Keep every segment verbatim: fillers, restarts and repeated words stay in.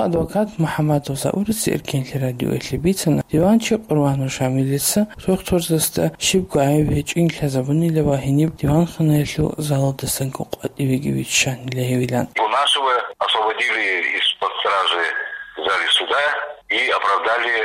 Адвокат МухӀаммадов Заурица Эркенлъи радиоялъе бицана, диванчи Къурбанов Шамилица дохтурзасда щибго гӀайиб гьечӀин лъазабунила ва гьениб диванханаялъул залалдасанго къватӀивеги виччанила гьевилан. Гунашева освободили из-под стражи в зале суда и оправдали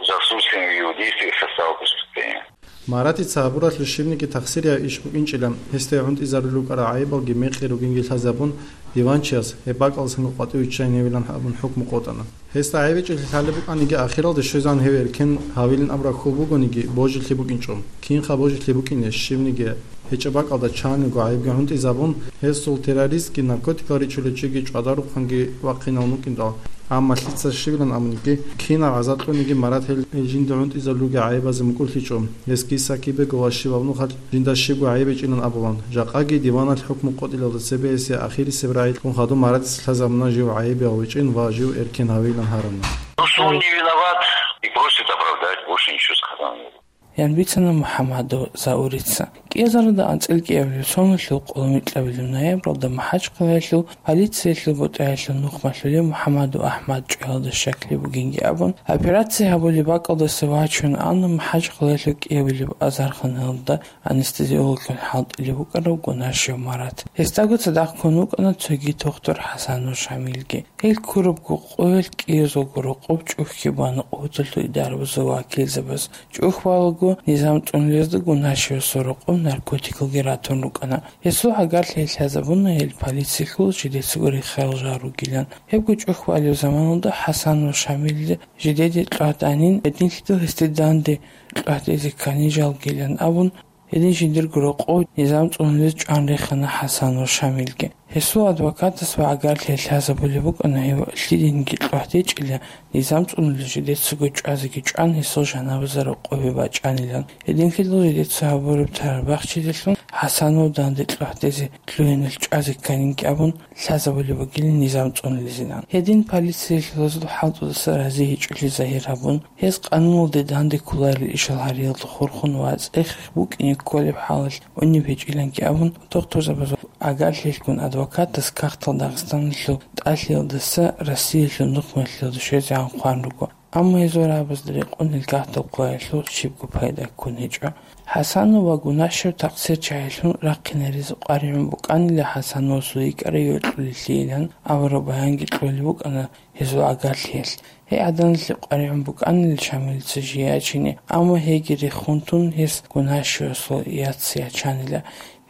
за отсутствием в его действиях состава преступления. Маратица гьабуралъул щибниги тахсирияб иш букӀинчӀила, гьесда гӀунтӀизарулел рукӀарал гӀайибалги мекъи ругинги лъазабун, диванчияс гьеб бакӀалдасанго къватӀив виччайин гьевилан абун хӀукму къотӀана. Гьесда гӀайиб гьечӀеблъи лъалеб букӀаниги, ахиралде щвезегӀан гьев эркен гьавилин абураб хьул бугониги, божилъи букӀинчӀо. Кинха божилъи букӀине, щибниги гьечӀеб бакӀалда чаниго гӀайибги гӀунтӀизабун, гьесул террористги наркотикал ричулев чиги чӀвадарухъанги вахъинавун вукӀиндал. Амма лъица щибилан абуниги, кинаб гӀазаб кьуниги Марат гьел, гьел жинда гӀунтӀизабулел ругел гӀайибазе мукӀурлъичӀо. Гьесги Сакибего ва щибаб нухалъ жинда щибго гӀайиб гьечӀилан абулан. Жакъаги диваналъ хӀукму къотӀилалда цебе гьесие ахирисеб рагӀи кьун хадуб Маратица лъазабуна жив гӀайиб гьечӀин ва жив эркен гьавилан гьарана. Ну, что он не виноват и просит оправдать, больше ничего сказал не буду. Ян бицана МухӀаммадов Заурица. КӀиазаруда анцӀила кӀиабилеб соналъул къоло микьабилеб ноябралда МахӀачхъалаялъул полициялъул бутӀаялъул нухмалъулев МухӀаммадов АхӀмад чӀваялда щаклъи бугинги абун, операция гьабулеб бакӀалдаса вачун ана МахӀачхъалаялъул кӀиабилеб азарханалда анестезиологлъун хӀалтӀулев вукӀарав Гунашев Марат. Гьесдаго цадахъ ккун вукӀана цоги тухтур ХӀасанов Шамилги. Гьел ккурабго къоялъ кӀиязулго рокъоб чӀухьги бана къуваталъул идарабазул вакилзабаз. ЧӀухь балаго, низам цӀунулезда Гунашевасул рокъоб наркотикалги ратун рукӀана. Гьесул гӀагарлъи лъазабуна гьел полициялъул жидецаго рехарал жал ругилан. Гьебго чӀухь балеб заманалда ХӀасанов Шамилида жидеде кьвагь данин, гьединлъидал гьесде данде кьвагь дезе ккани жалгилан абун, гьедин жиндирго рокъов низам цӀунулез чӀван рехана ХӀасанов Шамилги. Гьесул адвокатас ва гӀагарлъи лъазабулеб букӀана гьев лъидинги кьвагь дечӀила, низам цӀунулел жидецаго чӀвазеги чӀван гьесул жаназа рокъобе бачӀанилан. Гьединлъидал жидеца гьабураб тараб бахчидалъун ХӀасанов данде кьвагь дезе лъугьиналъ чӀвазе кканинги абун лъазабулеб бугилин низам цӀунулезилан. Гьедин полициялъулазул хӀалтӀудаса рази гьечӀолъи загьир гьабун, гьес къануналде данде кколарел ишал гьариялда хурхун ва цӀех-рех букӀине кколеб хӀалалъ унеб гьечӀиланги абун, тухтурзабазул гӀагарлъиялъгун адвокатас Кагътал Дагъистаналъул тӀалъиялдаса Россиялъул нухмалъулда щвезегӀан хъван руго. Амма гьезул рагӀабазда рекъон гьел кагътал къоялъул щибго пайда ккун гьечӀо. ХӀасанов ва Гунашев такъсирчагӀилъун рахъинаризе къваригӀун букӀанила ХӀасановасул йикӀарай йокьулелъийилан абураб баянги кьолеб букӀана гьезул гӀагарлъиялъ. Гьей гӀаданалъе къваригӀун букӀанила Шамилица жий ячине, амма гьейги рехун тун гьес Гунашевасул яц ячанила.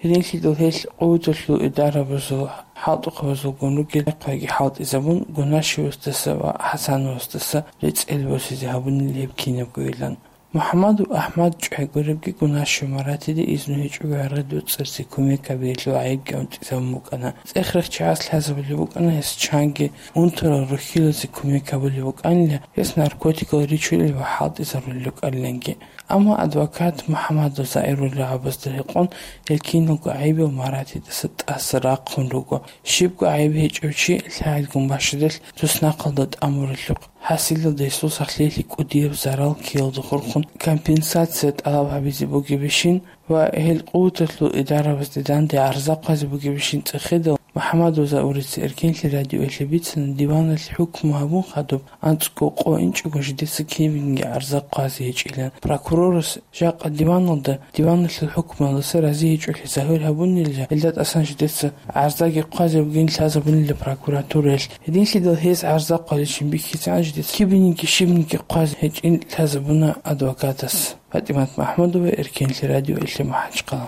Гьединлъидал гьел къуваталъул идарабазул хӀалтӀухъабазулгун ругел рахъиги хӀалтӀизабун, Гунашевасдаса ва ХӀасановасдаса рецӀел босизе гьабунила гьеб кинабгойилан. МухӀаммадов АхӀмад чӀвай гуребги Гунашев Маратида изну гьечӀого гӀергъи доцӀцӀаразе кумек гьабиялъул гӀайибги унтӀизабун букӀана. ЦӀех-рех чагӀаз лъазабулеб букӀана гьес чанги, унтарал рухьилазе кумек гьабулеб букӀанила, гьес наркотикал ричулел ва хӀалтӀизарулел рукӀаниланги. Амма адвокат МухӀаммадов Заирул рагӀабазда рекъон гьел киналго гӀайибал Маратидаса тӀаса рахъун руго. Щибго гӀайиб гьечӀев чи лъагӀелгун бащадалъ туснахъалда тӀамуралъухъ, хӀасилалда гьесул сахлъиялъе кӀудияб зарал ккеялда хурхун компенсация тӀалаб гьабизе бугебищин ва гьел къуваталъул идарабазде данде гӀарза хъвазе бугебищин цӀехедал, МухӀаммадов Заурица Эркенлъи радиоялъе бицана, диваналъ хӀукму гьабун хадуб анцӀго къо инчӀого жидеца кибинги гӀарза хъвазе гьечӀилан. Прокурорас жакъа диваналда, диваналъул хӀукмуялдаса рази гьечӀолъи загьир гьабунилан, гьелда тӀасан жидеца гӀарзаги хъвазе бугин лъазабунила прокуратураялъ. Гьединлъидал гьез гӀарза хъвазечин бихьизегӀан жидеца кибинги щибниги хъвазе гьечӀин лъазабуна адвокатас. ПатӀимат МахӀмудова, Эркенлъи радиоялъе МахӀачхъала.